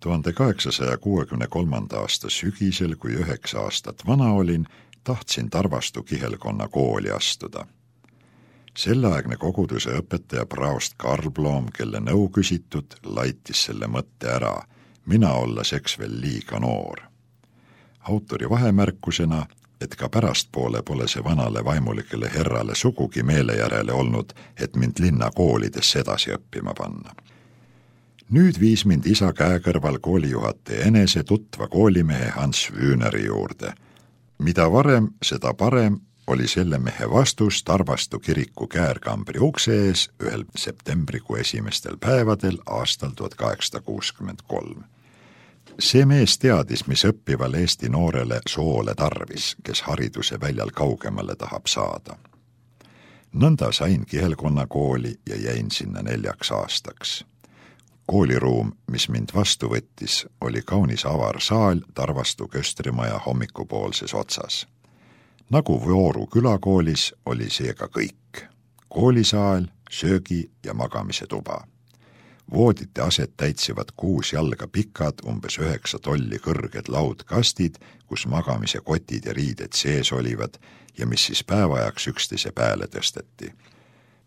1863. aasta sügisel, kui 9 aastat vana olin, tahtsin Tarvastu kihelkonna kooli astuda. Selleaegne koguduse õpetaja praost Karl Bloom, kelle nõu küsitud, laitis selle mõtte ära, mina olles eks veel liiga noor. Autori vahemärkusena, et ka pärastpoole pole see vanale vaimulikele herrale sugugi meele järele olnud, et mind linna koolidesse edasi õppima panna. Nüüd viis mind isa käekõrval koolijuhataja enese tutva koolimehe Hans Wühneri juurde. Mida varem, seda parem oli selle mehe vastus Tarvastu kiriku käärkambri ukse ees ühel septembrikuu esimestel päevadel aastal 1863. See mees teadis, mis õppival Eesti noorele soole tarvis, kes hariduse väljal kaugemale tahab saada. Nõnda sain kihelkonna kooli ja jäin sinna 4 aastaks. Kooliruum, mis mind vastu võttis, oli kaunis avar saal Tarvastu Köstrimaja hommikupoolses otsas. Nagu Vooru külakoolis oli seega kõik. Koolisaal, söögi ja magamise tuba. Voodite aset täitsivad 6 jalga pikad, umbes 9 tolli kõrged laudkastid, kus magamise kotid ja riided sees olivad ja mis siis päevajaks üksteise pääle tõsteti.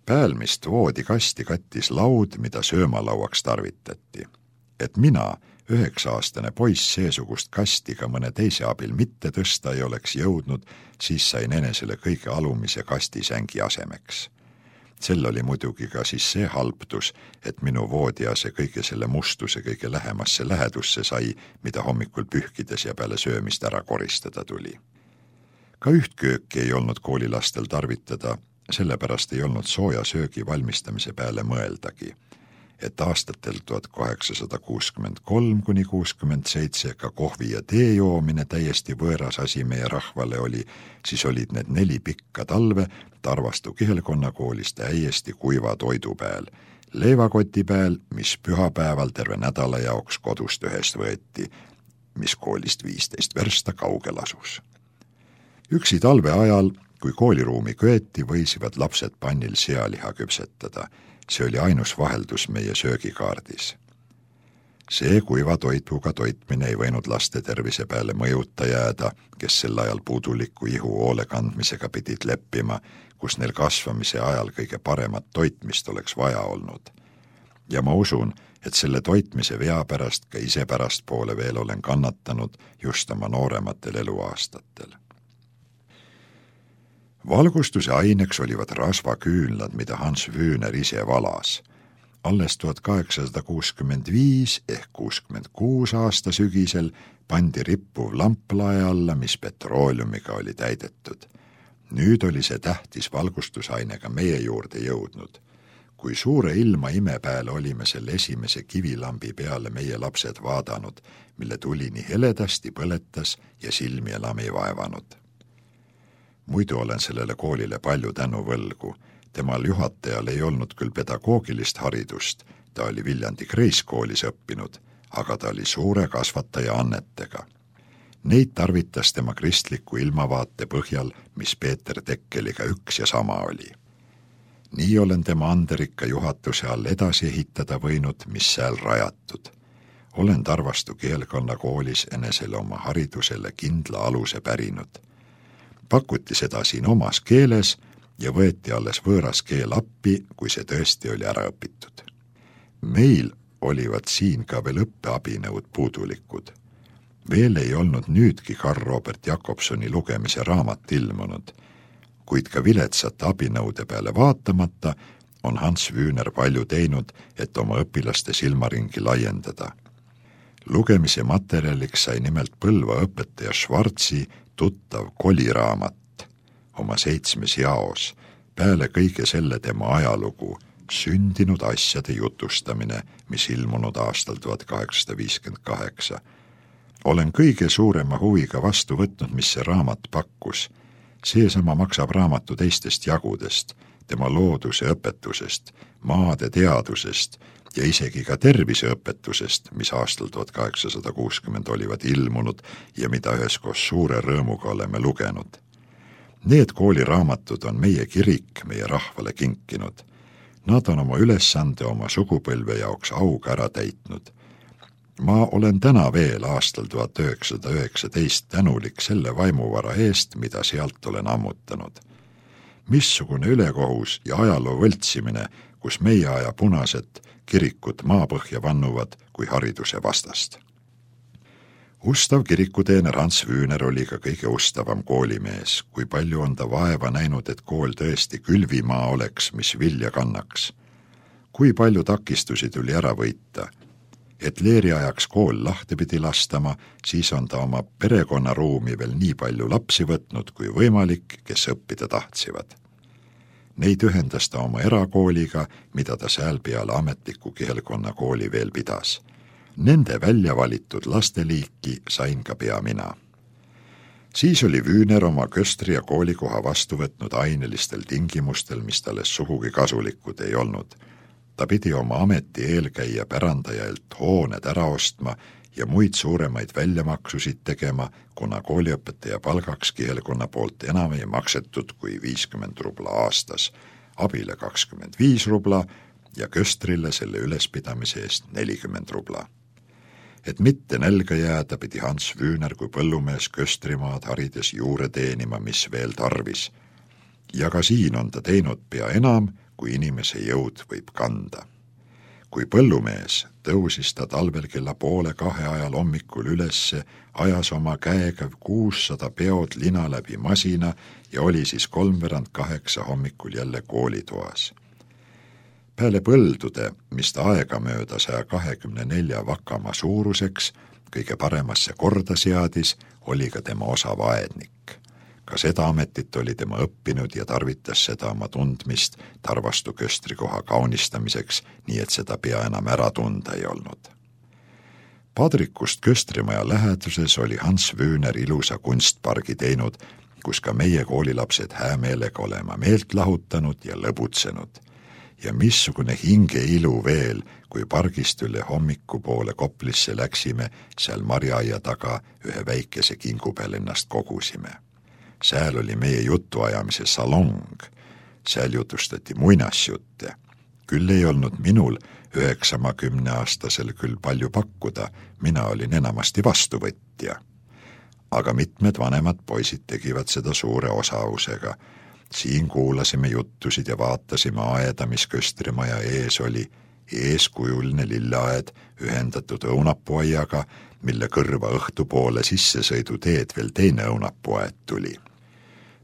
Päälmist voodikasti kattis laud, mida söömalauaks tarvitati. Et mina, 9-aastane poiss, seesugust kasti ka mõne teise abil mitte tõsta ei oleks jõudnud, siis sain enesele kõige alumise kastisängi asemeks. Sel oli muidugi ka siis see halbtus, et minu voodiase kõige selle mustuse kõige lähemasse lähedusse sai, mida hommikul pühkides ja peale söömist ära koristada tuli. Ka üht kööki ei olnud koolilastel tarvitada, sellepärast ei olnud sooja söögi valmistamise peale mõeldagi, et aastatel 1863–67 ka kohvi ja tee joomine täiesti võõras asi meie rahvale oli, siis olid need 4 pikka talve Tarvastu kihelkonna koolis täiesti kuiva toidu peal, leivakoti peal, mis pühapäeval terve nädala jaoks kodust ühest võeti, mis koolist 15 versta kaugel asus. Üksi talve ajal, kui kooliruumi köeti, võisivad lapsed pannil sealiha küpsetada. See oli ainus vaheldus meie söögikaardis. See kuiva toituga toitmine ei võinud laste tervise peale mõjuta jääda, kes sel ajal puuduliku ihu hoole kandmisega pidid leppima, kus neil kasvamise ajal kõige paremat toitmist oleks vaja olnud. Ja ma usun, et selle toitmise vea pärast ka ise pärastpoole veel olen kannatanud just oma noorematel eluaastatel. Valgustuse aineks olivad rasvaküünlad, mida Hans Wühner ise valas. Alles 1865 ehk 66 aasta sügisel pandi rippuv lamplae alla, mis petrooliumiga oli täidetud. Nüüd oli see tähtis valgustusainega meie juurde jõudnud. Kui suure ilma ime peale olime selle esimese kivilambi peale meie lapsed vaadanud, mille tuli nii heledasti põletas ja silmi enam ei vaevanud. Muidu olen sellele koolile palju tänu võlgu. Temal juhatajal ei olnud küll pedagoogilist haridust, ta oli Viljandi Kreiskoolis õppinud, aga ta oli suure kasvataja annetega. Neid tarvitas tema kristliku ilmavaate põhjal, mis Peeter Tekkeliga üks ja sama oli. Nii olen tema anderikka juhatuse all edasi ehitada võinud, mis sääl rajatud. Olen Tarvastu kihelkonna koolis enesele oma haridusele kindla aluse pärinud. Pakuti seda siin omas keeles ja võeti alles võõras keel appi, kui see tõesti oli ära õpitud. Meil olivad siin ka veel õppeabinõud puudulikud. Veel ei olnud nüüdki Karl Robert Jakobsoni lugemise raamat ilmunud, kuid ka viletsate abinõude peale vaatamata on Hans Wühner palju teinud, et oma õpilaste silmaringi laiendada. Lugemise materjaliks sai nimelt Põlva õpetaja Schwarzi tuttav koliraamat oma 7 jaos, peale kõige selle tema ajalugu, sündinud asjade jutustamine, mis ilmunud aastal 1858. Olen kõige suurema huviga vastu võtnud, mis see raamat pakkus. Seesama maksab raamatu teistest jagudest, tema looduse õpetusest, maade teadusest ja isegi ka terviseõpetusest, mis aastal 1860 olivad ilmunud ja mida üheskoos suure rõõmuga oleme lugenud. Need kooliraamatud on meie kirik meie rahvale kinkinud. Nad on oma ülesande oma sugupõlve jaoks auga ära täitnud. Ma olen täna veel aastal 1919 tänulik selle vaimuvara eest, mida sealt olen ammutanud. Missugune ülekohus ja ajaloo võltsimine, kus meie aja punased kirikut maapõhja vannuvad kui hariduse vastast. Ustav kirikuteener Hans Wühner oli ka kõige ustavam koolimees, kui palju on ta vaeva näinud, et kool tõesti külvimaa oleks, mis vilja kannaks. Kui palju takistusi tuli ära võita, et leeriajaks kool lahti pidi lastama, siis on ta oma perekonnaruumi veel nii palju lapsi võtnud kui võimalik, kes õppida tahtsиvad. Neid ühendas ta oma erakooliga, mida ta seal peale ametliku kihelkonna kooli veel pidas. Nende välja valitud lasteliiki sain ka pea mina. Siis oli Wühner oma köstri ja koolikoha vastu võtnud ainelistel tingimustel, mis talle sugugi kasulikud ei olnud. Ta pidi oma ameti eelkäija pärandajalt hooned ära ostma ja muid suuremaid väljamaksusid tegema, kuna kooliõpetaja palgaks kihelkonna poolt enam ei maksetud kui 50 rubla aastas, abile 25 rubla ja köstrile selle ülespidamise eest 40 rubla. Et mitte nälga jääda, pidi Hans Wühner kui põllumees köstrimaad harides juure teenima, mis veel tarvis. Ja ka siin on ta teinud pea enam, kui inimese jõud võib kanda. Kui põllumees tõusis ta talvel kella 1:30 ajal hommikul ülesse, ajas oma käega 600 peod lina läbi masina ja oli siis 7:45 hommikul jälle koolitoas. Peale põldude, mis ta aegamööda 124 vakamaa suuruseks, kõige paremasse korda seadis, oli ka tema osav aednik. Ka seda ametit oli tema õppinud ja tarvitas seda oma tundmist Tarvastu köstrikoha kaunistamiseks, nii et seda pea enam ära tunda ei olnud. Padrikust köstrimaja läheduses oli Hans Wühner ilusa kunstpargi teinud, kus ka meie koolilapsed häämeelega olema meelt lahutanud ja lõbutsenud. Ja missugune hingeilu veel, kui pargist üle hommikupoole Koplisse läksime, seal marjaaia taga ühe väikese kingu peal ennast kogusime. Seal oli meie jutuajamise salong, seal jutustati muinasjutte. Küll ei olnud minul 90-aastasel küll palju pakkuda, mina olin enamasti vastuvõtja. Aga mitmed vanemad poisid tegivad seda suure osavusega. Siin kuulasime juttusid ja vaatasime aeda, mis köstrimaja ees oli, eeskujuline lilleaed ühendatud õunapuaiaga, mille kõrva õhtupoole sissesõiduteed veel teine õunapuaed tuli.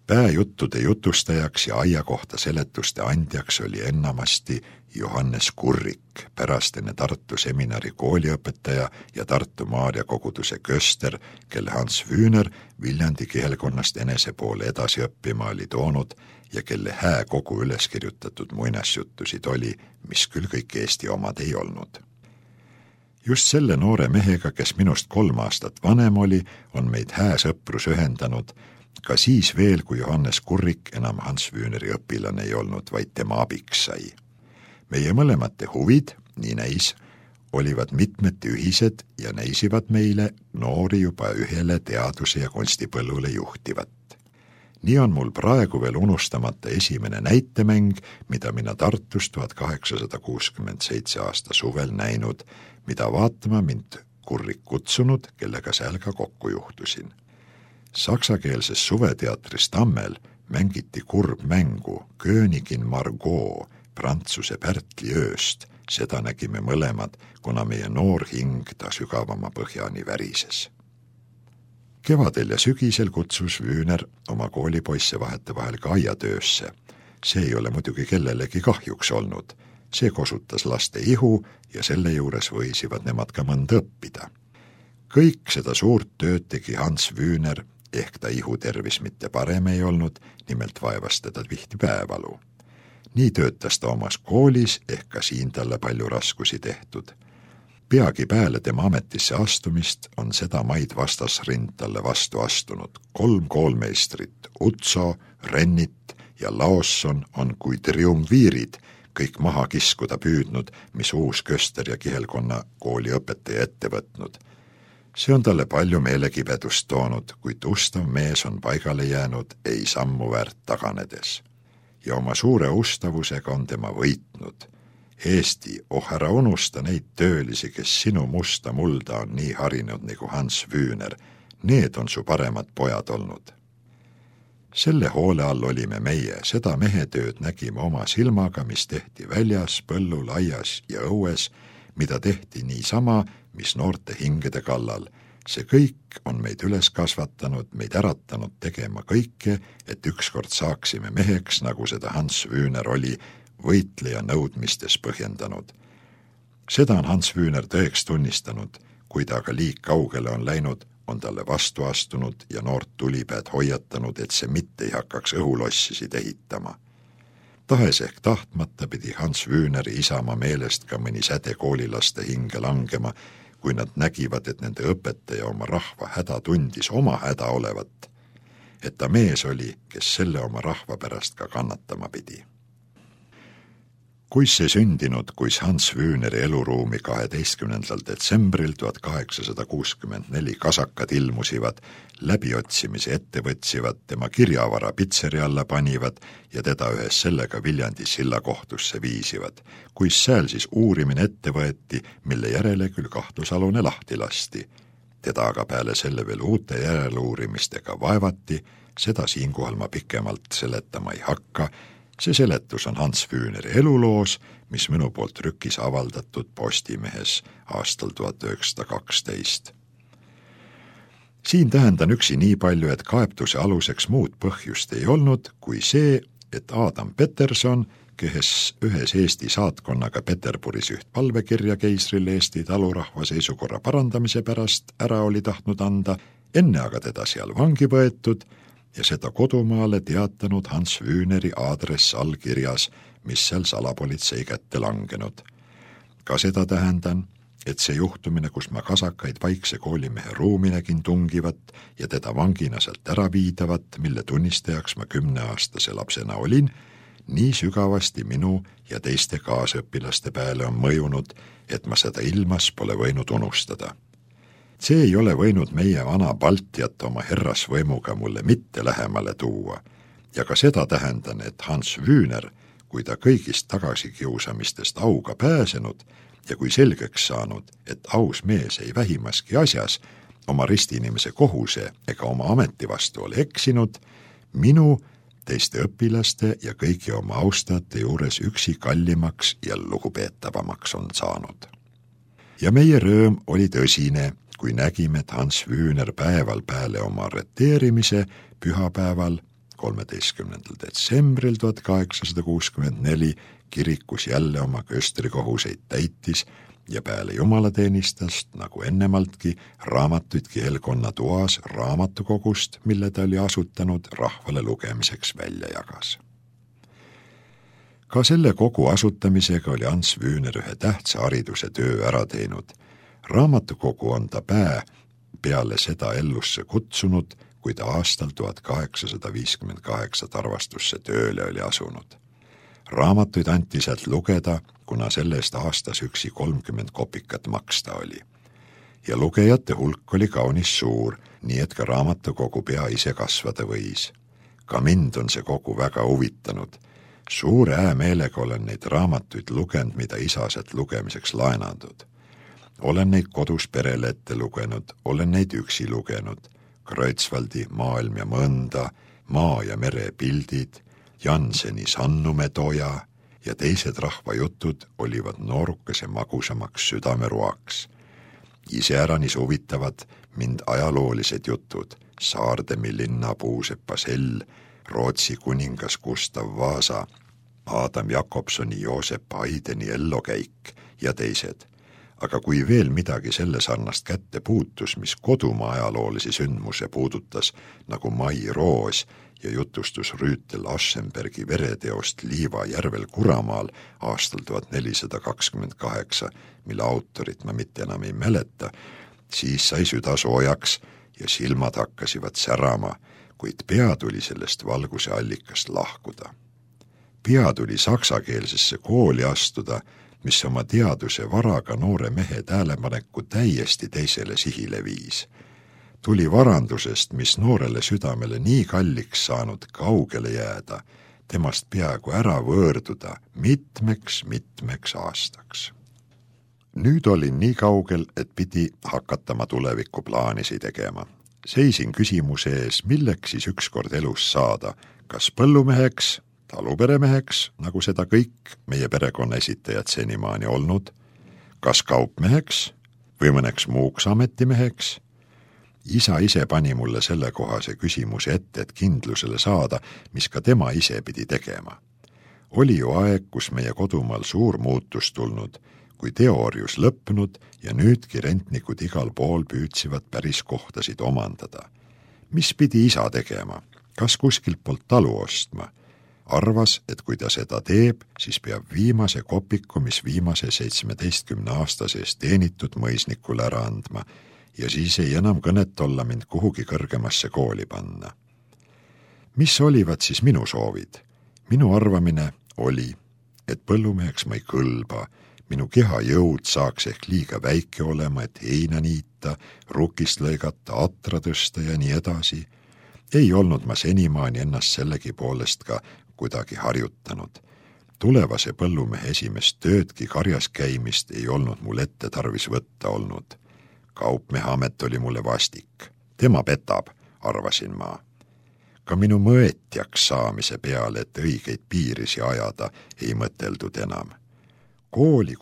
Pääjuttude jutustajaks ja aia kohta seletuste andjaks oli ennamasti Johannes Kurrik, pärastine Tartu seminari kooliõpetaja ja Tartu Maarja koguduse köster, kelle Hans Wühner Viljandi kihelkonnast enese poole edasi õppima oli toonud ja kelle hää kogu üles kirjutatud muinasjuttusid oli, mis küll kõik Eesti omad ei olnud. Just selle noore mehega, kes minust 3 aastat vanem oli, on meid hää sõprus ühendanud, ka siis veel, kui Johannes Kurrik enam Hans Wühneri õpilane ei olnud, vaid tema abiks sai. Meie mõlemate huvid, nii näis, olivad mitmeti ühised ja näisivad meile noori juba ühele teaduse ja kunstipõllule juhtivat. Nii on mul praegu veel unustamata esimene näitemäng, mida mina Tartus 1867 aasta suvel näinud, mida vaatama mind Kurrik kutsunud, kellega seal ka kokku juhtusin. Saksakeelses suveteatris Tammel mängiti kurbmängu Königin Margot Prantsuse Pärtli ööst, seda nägime mõlemad, kuna meie noor hing ta sügavama põhjani värises. Kevadel ja sügisel kutsus Wühner oma koolipoisse vahetevahel ka aiatöösse. See ei ole muidugi kellelegi kahjuks olnud. See kosutas laste ihu ja selle juures võisivad nemad ka mõnda õppida. Kõik seda suurt tööd tegi Hans Wühner, ehk ta ihutervis mitte parem ei olnud, nimelt vaevas teda tihti päevalu. Nii töötas ta omas koolis, ehk ka siin talle palju raskusi tehtud. Peagi peale tema ametisse astumist on seda maid vastasrind talle vastu astunud. 3 koolmeistrit, Utso, Rennit ja Laosson on kui triumviirid kõik maha kiskuda püüdnud, mis uus köster ja kihelkonna kooli õpetaja ette võtnud. See on talle palju meelekibedust toonud, kuid ustav mees on paigale jäänud ei sammu väärt taganedes. Ja oma suure ustavusega on tema võitnud. Eesti, ära unusta neid töölisi, kes sinu musta mulda on nii harinud nagu Hans Wüner. Need on su paremad pojad olnud. Selle hoole all olime meie, seda mehetööd nägime oma silmaga, mis tehti väljas, põllul, aias ja õues, mida tehti niisama, mis noorte hingede kallal. See kõik on meid üles kasvatanud, meid äratanud tegema kõike, et ükskord saaksime meheks, nagu seda Hans Wüner oli, võitleja nõudmistes põhjendanud. Seda on Hans Wüner tõeks tunnistanud, kui ta aga liig kaugele on läinud, on talle vastu astunud ja noort tulipäed hoiatanud, et see mitte ei hakkaks õhulossisid ehitama. Tahes ehk tahtmata pidi Hans Wüneri isamaa meelest ka mõni säde koolilaste hinge langema, kui nad nägivad, et nende õpetaja oma rahva häda tundis oma häda olevat, et ta mees oli, kes selle oma rahva pärast ka kannatama pidi. Kuis see sündinud, kuis Hans Wüneri eluruumi 12. detsembril 1864 kasakad ilmusivad, läbiotsimise ette võtsivad, tema kirjavara pitseri alla panivad ja teda ühes sellega Viljandi silla kohtusse viisivad, kuis sääl siis uurimine ette võeti, mille järele küll kahtlusalune lahti lasti. Teda aga peale selle veel uute järeluurimistega vaevati, seda siinkohal ma pikemalt seletama ei hakka. See seletus on Hans Wüneri eluloos, mis minu poolt trükis avaldatud Postimehes aastal 1912. Siin tähendan üksi nii palju, et kaebtuse aluseks muud põhjust ei olnud, kui see, et Adam Peterson, kes ühes Eesti saatkonnaga Peterburis üht palvekirja keisrile Eesti talurahva seisukorra parandamise pärast ära oli tahtnud anda, enne aga teda seal vangi võetud, ja seda kodumaale teatanud Hans Wüneri aadress allkirjas, mis seal salapolitsei kätte langenud. Ka seda tähendan, et see juhtumine, kus ma kasakaid vaikse koolimehe ruumi nägin tungivat ja teda vangina sealt ära viidavat, mille tunnistajaks ma 10-aastase lapsena olin, nii sügavasti minu ja teiste kaasõpilaste peale on mõjunud, et ma seda ilmas pole võinud unustada. See ei ole võinud meie vana Baltiat oma herrasvõimuga mulle mitte lähemale tuua. Ja ka seda tähendan, et Hans Wüner, kui ta kõigist tagasikiusamistest auga pääsenud ja kui selgeks saanud, et aus mees ei vähimaski asjas oma ristiinimese kohuse ega oma ameti vastu ole eksinud, minu, teiste õpilaste ja kõigi oma austajate juures üksi kallimaks ja lugupeetavamaks on saanud. Ja meie rõõm oli tõsine, kui nägime, et Hans Wüner päeval peale oma arreteerimise pühapäeval 13. detsembril 1864 kirikus jälle oma köstrikohuseid täitis ja peale jumalateenistast, nagu ennemaltki, raamatuid kihelkonna toas raamatukogust, mille ta oli asutanud, rahvale lugemiseks välja jagas. Ka selle kogu asutamisega oli Hans Wüner ühe tähtsa hariduse töö ära teinud. Raamatukogu on ta peale seda ellusse kutsunud, kui ta aastal 1858 Tarvastusse tööle oli asunud. Raamatuid anti sealt lugeda, kuna sellest aastas üksi 30 kopikat maksta oli. Ja lugejate hulk oli kaunis suur, nii et ka raamatukogu pea ise kasvada võis. Ka mind on see kogu väga huvitanud. Suure häämeelega olen neid raamatuid lugenud, mida isa sealt lugemiseks laenandud. Olen neid kodus perele ette lugenud, olen neid üksi lugenud. Kreutzwaldi Maailm ja mõnda, Maa ja mere pildid, Janseni Sannumetoja ja teised rahvajutud olivad noorukese magusamaks südameroaks. Iseäranis huvitavad mind ajaloolised jutud, Saardemi linnapuusepa Sell, Rootsi kuningas Gustav Vasa, Adam Jakobsoni Joosep Haideni ellokäik ja teised. Aga kui veel midagi selle sarnast kätte puutus, mis kodumaa ajaloolisi sündmuse puudutas, nagu Mai Roos ja jutustus Rüütel Aschenbergi vereteost Liiva järvel Kuramaal aastal 1428, mille autorit ma mitte enam ei mäleta, siis sai süda soojaks ja silmad hakkasivad särama, kuid pea tuli sellest valguse allikast lahkuda. Pea tuli saksakeelsesse kooli astuda, mis oma teaduse varaga noore mehe tähelepaneku täiesti teisele sihile viis. Tuli varandusest, mis noorele südamele nii kalliks saanud kaugele jääda, temast peaaegu ära võõrduda mitmeks aastaks. Nüüd olin nii kaugel, et pidi hakatama tulevikuplaanisi tegema. Seisin küsimuse ees, milleks siis ükskord elus saada, kas põllumeheks, taluperemeheks, nagu seda kõik meie perekonna esitajad senimaani olnud, kas kaupmeheks või mõneks muuks ametimeheks. Isa ise pani mulle sellekohase küsimuse ette, et kindlusele saada, mis ka tema ise pidi tegema. Oli ju aeg, kus meie kodumaal suur muutus tulnud, kui teoorius lõpnud ja nüüdki rentnikud igal pool püüdsivad päris kohtasid omandada. Mis pidi isa tegema? Kas kuskilt poolt talu ostma? Arvas, et kui ta seda teeb, siis peab viimase kopiku, mis viimase 17 aasta sees teenitud mõisnikule ära andma ja siis ei enam kõnet olla mind kuhugi kõrgemasse kooli panna. Mis olivad siis minu soovid? Minu arvamine oli, et põllumeheks ma ei kõlba, minu kehajõud saaks ehk liiga väike olema, et heina niita, rukist lõigata, atra tõsta ja nii edasi. Ei olnud ma senimaani ennast sellegi poolest ka kuidagi harjutanud. Tulevase põllumehe esimest töödki karjas käimist ei olnud mul ette tarvis võtta olnud. Kaupmehe amet oli mulle vastik. Tema petab, arvasin ma. Ka minu mõetjaks saamise peale, et õigeid piirisi ajada, ei mõteldud enam. Kooli,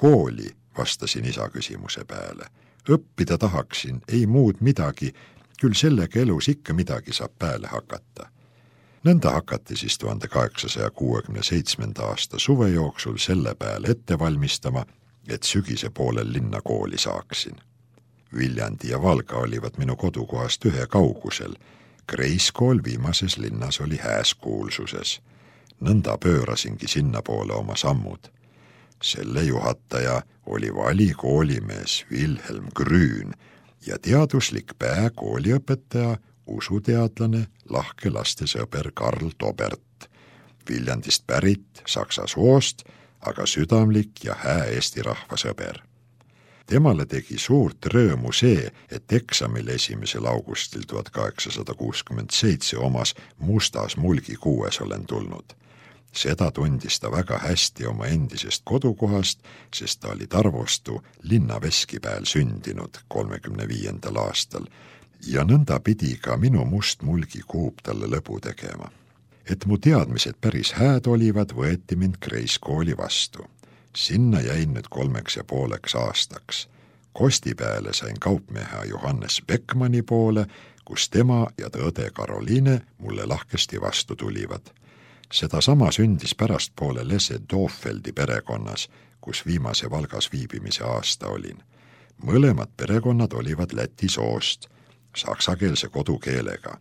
vastasin isa küsimuse peale. Õppida tahaksin, ei muud midagi, küll sellega elus ikka midagi saab pääle hakata. Nõnda hakati siis 1867. aasta suve jooksul selle peale ette valmistama, et sügise poolel linna kooli saaksin. Viljandi ja Valga olivad minu kodukohast ühe kaugusel. Kreiskool viimases linnas oli hääskuulsuses. Nõnda pöörasingi sinna poole oma sammud. Selle juhataja oli vali koolimees Wilhelm Grün ja teaduslik kooliõpetaja, usuteadlane, lahke lastesõber Karl Tobert. Viljandist pärit, saksa soost, aga südamlik ja hää eesti rahvasõber. Temale tegi suurt rõõmu see, et eksamil 1. augustil 1867 omas mustas mulgikuues olen tulnud. Seda tundis ta väga hästi oma endisest kodukohast, sest ta oli Tarvostu linnaveskipäel sündinud 35. aastal ja nõnda pidi ka minu must mulgikuub talle lõbu tegema. Et mu teadmised päris hääd olivad, võeti mind Kreiskooli vastu. Sinna jäin nüüd 3,5 aastaks. Kostipeale sain kaupmehe Johannes Beckmanni poole, kus tema ja tõde Karoliine mulle lahkesti vastu tulivad. Seda sama sündis pärastpoole Lesse Dofeldi perekonnas, kus viimase Valgas viibimise aasta olin. Mõlemad perekonnad olivad läti soost, saksakeelse kodukeelega.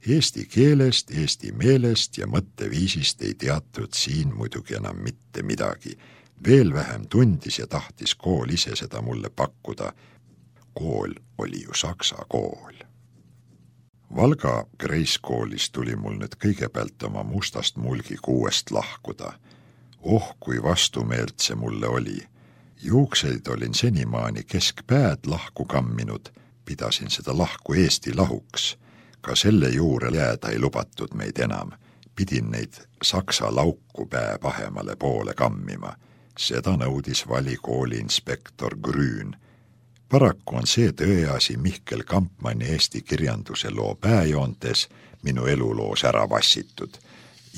Eesti keelest, eesti meelest ja mõtteviisist ei teatud siin muidugi enam mitte midagi. Veel vähem tundis ja tahtis kool ise seda mulle pakkuda. Kool oli ju saksa kool. Valga Kreiskoolis tuli mul nüüd kõigepealt oma mustast mulgikuuest lahkuda. Kui vastumeelt see mulle oli. Juukseid olin senimaani keskpäed lahku kamminud, pidasin seda lahku Eesti lahuks. Ka selle juure jääda ei lubatud meid enam. Pidin neid saksa lauku pää pahemale poole kammima. Seda nõudis valikooli inspektor Grün. Paraku on see tõeasi Mihkel Kampmanni eesti kirjanduse loo pääjoontes minu eluloos ära vassitud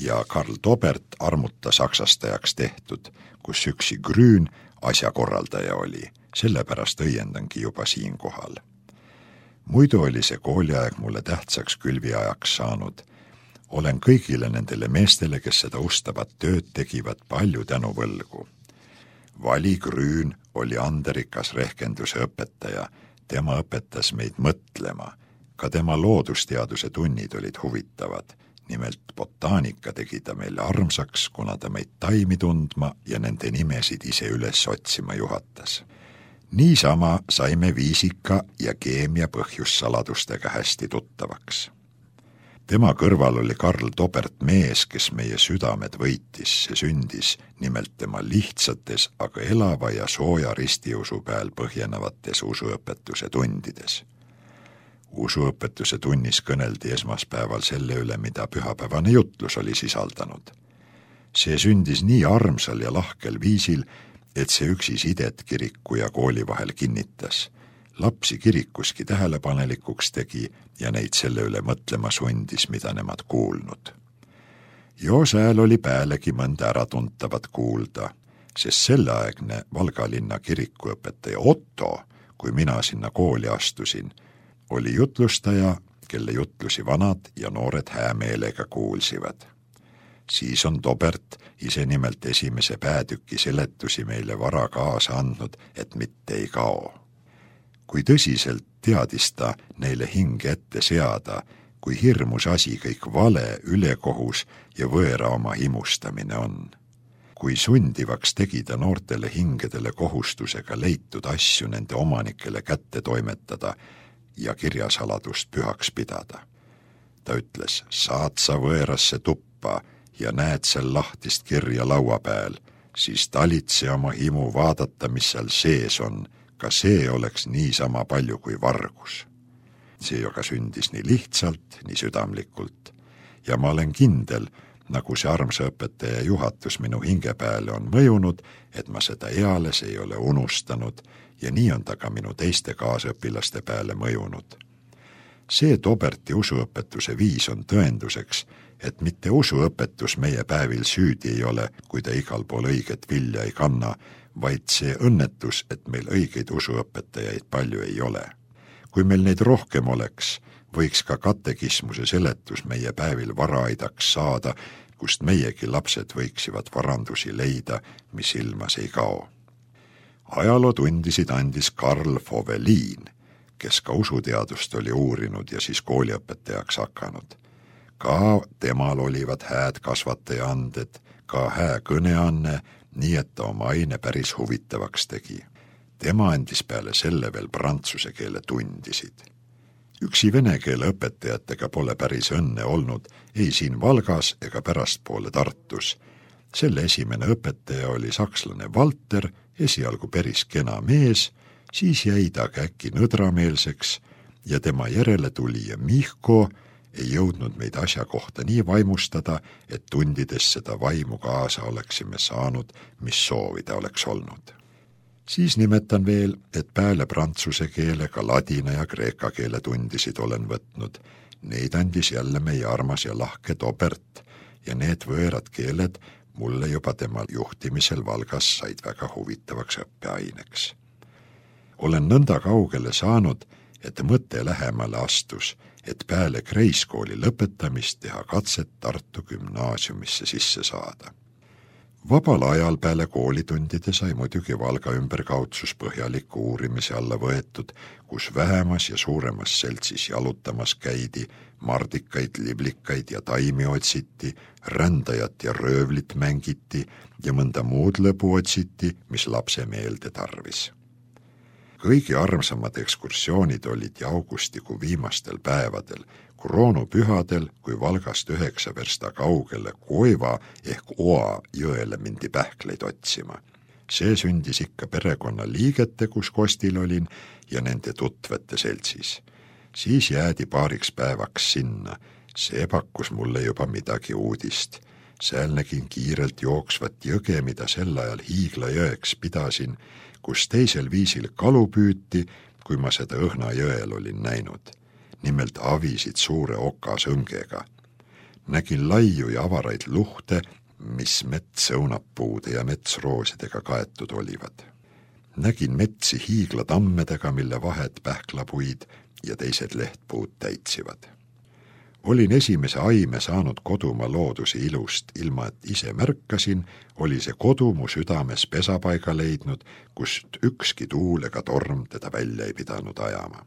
ja Karl Tobert armuta saksastajaks tehtud, kus üksi Grün asjakorraldaja oli. Sellepärast õiendangi juba siin kohal. Muidu oli see kooliaeg mulle tähtsaks külviajaks saanud. Olen kõigile nendele meestele, kes seda ustavat tööd tegivad, palju tänu võlgu. Vali Grün oli anderikas rehkenduse õpetaja. Tema õpetas meid mõtlema. Ka tema loodusteaduse tunnid olid huvitavad. Nimelt botaanika tegi ta meile armsaks, kuna ta meid taimi tundma ja nende nimesid ise üles otsima juhatas. Niisama saime viisika ja keemia põhjussaladustega hästi tuttavaks. Tema kõrval oli Karl Tobert mees, kes meie südamed võitis. See sündis nimelt tema lihtsates, aga elava ja sooja ristiusu peal põhjenevates usuõpetuse tundides. Usuõpetuse tunnis kõneldi esmaspäeval selle üle, mida pühapäevane jutlus oli sisaldanud. See sündis nii armsal ja lahkel viisil, et see üksi sidet kiriku ja kooli vahel kinnitas. Lapsi kirikuski tähelepanelikuks tegi ja neid selle üle mõtlema sundis, mida nemad kuulnud. Jo sääl oli päälegi mõnda äratuntavat kuulda, sest selleaegne Valga linna kirikuõpetaja Otto, kui mina sinna kooli astusin, oli jutlustaja, kelle jutlusi vanad ja noored häämeelega kuulsivad. Siis on Tobert ise nimelt esimese päätüki seletusi meile vara kaasa andnud, et mitte ei kao. Kui tõsiselt teadis ta neile hinge ette seada, kui hirmus asi kõik vale, ülekohus ja võõra oma himustamine on. Kui sundivaks tegi ta noortele hingedele kohustusega leitud asju nende omanikele kätte toimetada ja kirjasaladust pühaks pidada. Ta ütles, saad sa võõrasse tuppa ja näed seal lahtist kirja laua peal, siis talitse oma himu vaadata, mis seal sees on, ka see oleks niisama palju kui vargus. See aga sündis nii lihtsalt, nii südamlikult ja ma olen kindel, nagu see armsa õpetaja juhatus minu hinge peale on mõjunud, et ma seda eales ei ole unustanud ja nii on ta ka minu teiste kaasõpilaste peale mõjunud. See Toberti usuõpetuse viis on tõenduseks, et mitte usuõpetus meie päevil süüdi ei ole, kui ta igal pool õiget vilja ei kanna, vaid see õnnetus, et meil õigeid usuõpetajaid palju ei ole. Kui meil neid rohkem oleks, võiks ka katekismuse seletus meie päevil varaaidaks saada, kust meiegi lapsed võiksivad varandusi leida, mis ilmas ei kao. Ajalootundisid andis Karl Foveliin, kes ka usuteadust oli uurinud ja siis kooliõpetajaks hakanud. Ka temal olivad hääd kasvataja anded, ka hää kõneanne, nii et ta oma aine päris huvitavaks tegi. Tema andis peale selle veel prantsuse keele tundisid. Üksi vene keele õpetajatega pole päris õnne olnud ei siin Valgas ega pärastpoole Tartus. Selle esimene õpetaja oli sakslane Walter, esialgu päris kena mees, siis jäi ta äkki nõdrameelseks ja tema järele tuli ja Mihko ei jõudnud meid asja kohta nii vaimustada, et tundides seda vaimu kaasa oleksime saanud, mis soovida oleks olnud. Siis nimetan veel, et peale prantsuse keele ka ladina ja kreeka keele tundisid olen võtnud. Neid andis jälle meie armas ja lahke Tobert ja need võõrad keeled mulle juba tema juhtimisel Valgas said väga huvitavaks õppeaineks. Olen nõnda kaugele saanud, et mõte lähemale astus, et peale kreiskooli lõpetamist teha katset Tartu gümnaasiumisse sisse saada. Vabal ajal peale koolitundide sai muidugi Valga ümberkaudsus põhjaliku uurimise alla võetud, kus vähemas ja suuremas seltsis jalutamas käidi, mardikaid, liblikaid ja taimi otsiti, rändajat ja röövlit mängiti ja mõnda muud lõbu otsiti, mis lapse meelde tarvis. Kõigi armsamad ekskursioonid olid augustikuu viimastel päevadel, kroonupühadel, kui Valgast 9 versta kaugele Koiva ehk Oa jõele mindi pähkleid otsima. See sündis ikka perekonna liigete, kus kostil olin, ja nende tutvete seltsis. Siis jäädi paariks päevaks sinna. See pakkus mulle juba midagi uudist. Sääl nägin kiirelt jooksvat jõge, mida sel ajal Hiigla-jõeks pidasin, kus teisel viisil kalu püüti, kui ma seda Õhna jõel olin näinud. Nimelt avisid suure okasõngega. Nägin laiu ja avaraid luhte, mis metsõunappuude ja metsroosidega kaetud olivad. Nägin metsi hiiglatammedega, mille vahed pähklapuid ja teised lehtpuud täitsivad. Olin esimese aime saanud kodumaa looduse ilust, ilma et ise märkasin, oli see kodu mu südames pesapaiga leidnud, kust ükski tuul ega torm teda välja ei pidanud ajama.